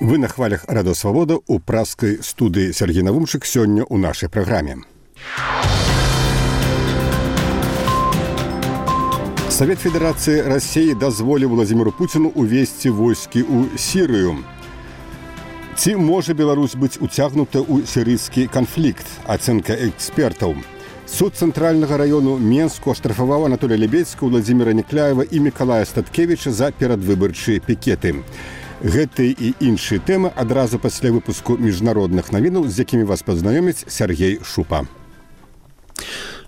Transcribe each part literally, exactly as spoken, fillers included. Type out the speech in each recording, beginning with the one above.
Вы на хвалях Радио Свобода у пражской студии Сергей Навумчик сегодня у нашей программе. Совет Федерации России дозволил Владимиру Путину увести войски у Сирию. Ці може Беларусь быць уцягнута ў сірыйскі канфлікт? Ацэнка экспертаў. Суд цэнтральнага району Менску аштрафаваў Анатолія Лебедзька, Владзіміра Некляева і Мікалая Статкевіча за перадвыбарчыя пікеты. Гэты і іншыя тэмы адразу пасля выпуску міжнародных навінаў, з якімі вас пазнаёміць Сергей Шупа.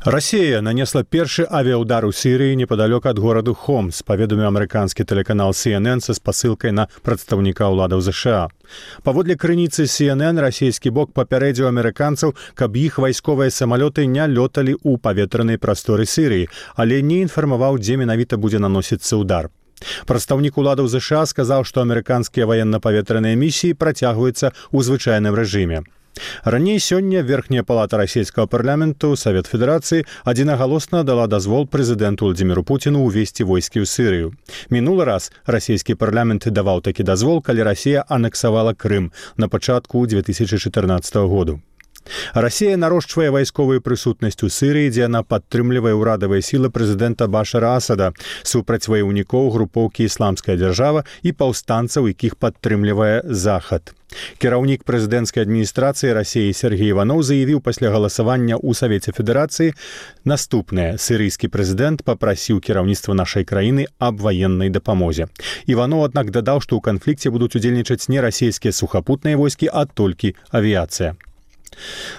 Россия нанесла першы авіаудар у Сірыі непадалёк ад гораду Хомс, паведаміў амерыканскі тэлеканал Си Эн Эн са спасылкай на прадстаўніка ўладаў ЗША. Паводле крыніцы Си Эн Эн, расійскі бок папярэдзіў амерыканцаў, каб іх вайсковыя самалёты не лёталі ў паветранай прасторы Сірыі, але не інфармаваў, дзе менавіта будзе наносіцца ўдар. Прадстаўнік уладаў ЗША сказаў, што амерыканскія ваенна-паветраныя місіі працягваюцца ў звычайным рэжыме. Раней сёння Верхняя палата расійскага парламенту, Савет Федэрацыі, адзінагалосна дала дазвол прэзідэнту Владзіміру Пуціну ўвесці войскі ў Сірыю. Мінулы раз расійскі парламент даваў такі дазвол, калі Расія анексавала Крым на пачатку дзве тысячы чатырнаццатага году. Расія нарошчвае вайсковую прысутнасць у Сірыі, дзе яна падтрымлівае ўрадавыя сілы прэзідэнта Башара Асада супраць ваяўнікоў групоўкі «Ісламская дзяржава» і паўстанцаў, якіх падтрымлівае Захад. Кіраўнік прэзідэнцкай адміністрацыі Расіі Сергей Іваноў заявіў пасля галасавання ў Савеце Федэрацыі наступнае. Сірыйскі прэзідэнт папрасіў кіраўніцтва нашай краіны аб ваеннай дапамозе. Іваноў, аднак, дадаў, што ў канфлікце будуць удзельнічаць не расійскія сухапутныя войскі, а толькі авіяцыя.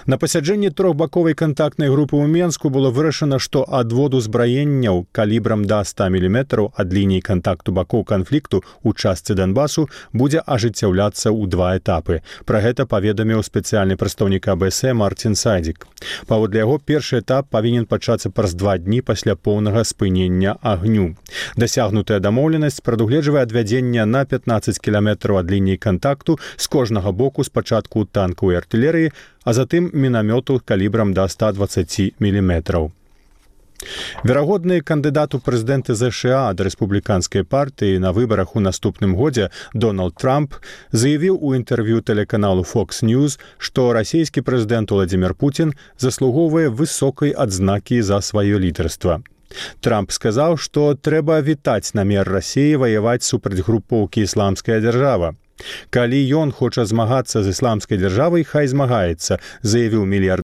На пасяджэнні трохбаковай кантактнай групы ў Менску было вырашана, што адвод узбраенняў калібрам да ста міліметраў ад лініі кантакту бакоў канфлікту ў частцы Донбасу будзе ажыццяўляцца ў два этапы. Пра гэта паведаміў спецыяльны прадстаўнік А Бэ Эс Э Мартин Сайдзік. Паводле яго, першы этап павінен пачацца праз два дні пасля поўнага спынення агню. Дасягнутая дамоўленасць прадугледжвае адвядзенне на пятнаццаць кіламетраў ад лініі кантакту з кожнага боку, спачатку танкаў і артылерыі, а затым мінамёту калібрам да ста дваццаці міліметраў. Верагодны кандыдат у прэзідэнты ЗША ад рэспубліканскай партыі на выбарах у наступным годзе Дональд Трамп заявіў у інтэрв'ю тэлеканалу Фокс Ньюс, што расійскі прэзідэнт Владзімір Пуцін заслугоўвае высокай адзнакі за сваё лідарства. Трамп сказаў, што трэба вітаць намер Расіі ваяваць супраць групоўкі «Ісламская дзяржава». Калі ён хоча змагацца з ісламскай дзяржавай, хай змагаецца, заявіў мільярдэр